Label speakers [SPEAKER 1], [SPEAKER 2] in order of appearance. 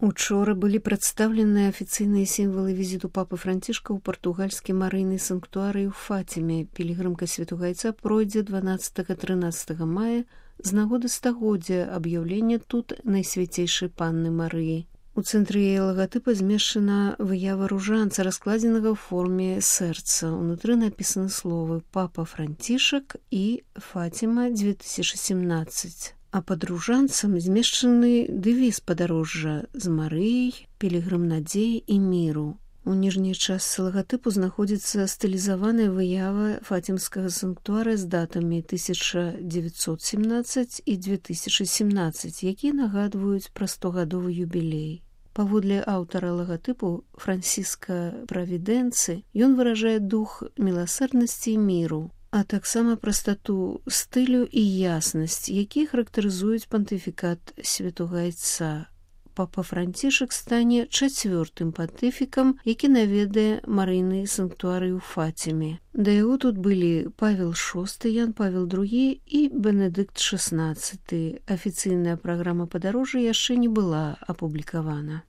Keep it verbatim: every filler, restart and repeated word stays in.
[SPEAKER 1] Учора былі прадстаўленыя афіцыйныя сімвалы візіту папы Францішка ў партугальскі марыйны санктуарый у Фаціме. Пілігрымка Святога Яйца пройдзе дванаццатага-трынаццатага мая з нагоды стагоддзя аб'яўлення тут Найсвяцейшай Панны Марыі. У цэнтры яе лагатыпа змешчана выява ружанца, раскладзенага ў форме сэрца. Унутры напісаны словы «Папа Францішак» і «Фатіма две тысячи семнадцать». А пад ружанцам змешчаны дэвіз падарожжа «З Марыяй, пілігрым надзеі і міру». У ніжняй частцы лагатыпу знаходзіцца стылізаваная выява фатімскага санктуара з датамі тысяча дзевяцьсот семнадцаць і две тысячи семнадцать, якія нагадваюць пра стогадовы юбілей. Паводле аўтара лагатыпу Франціска Правідэнцы, ён выражае дух міласэрнасці і міру, а таксама прастату стылю і яснасць, якія характарызуюць пантыфікат Святога Яйца. Папа Францішак стане чацвёртым пантыфікам, які наведае марыйны санктуарый у Фаціме. Да яго тут былі Павел шосты, Ян Павел другі і Бенедыкт шаснаццаты. Афіцыйная праграма падарожжа яшчэ не была апублікавана.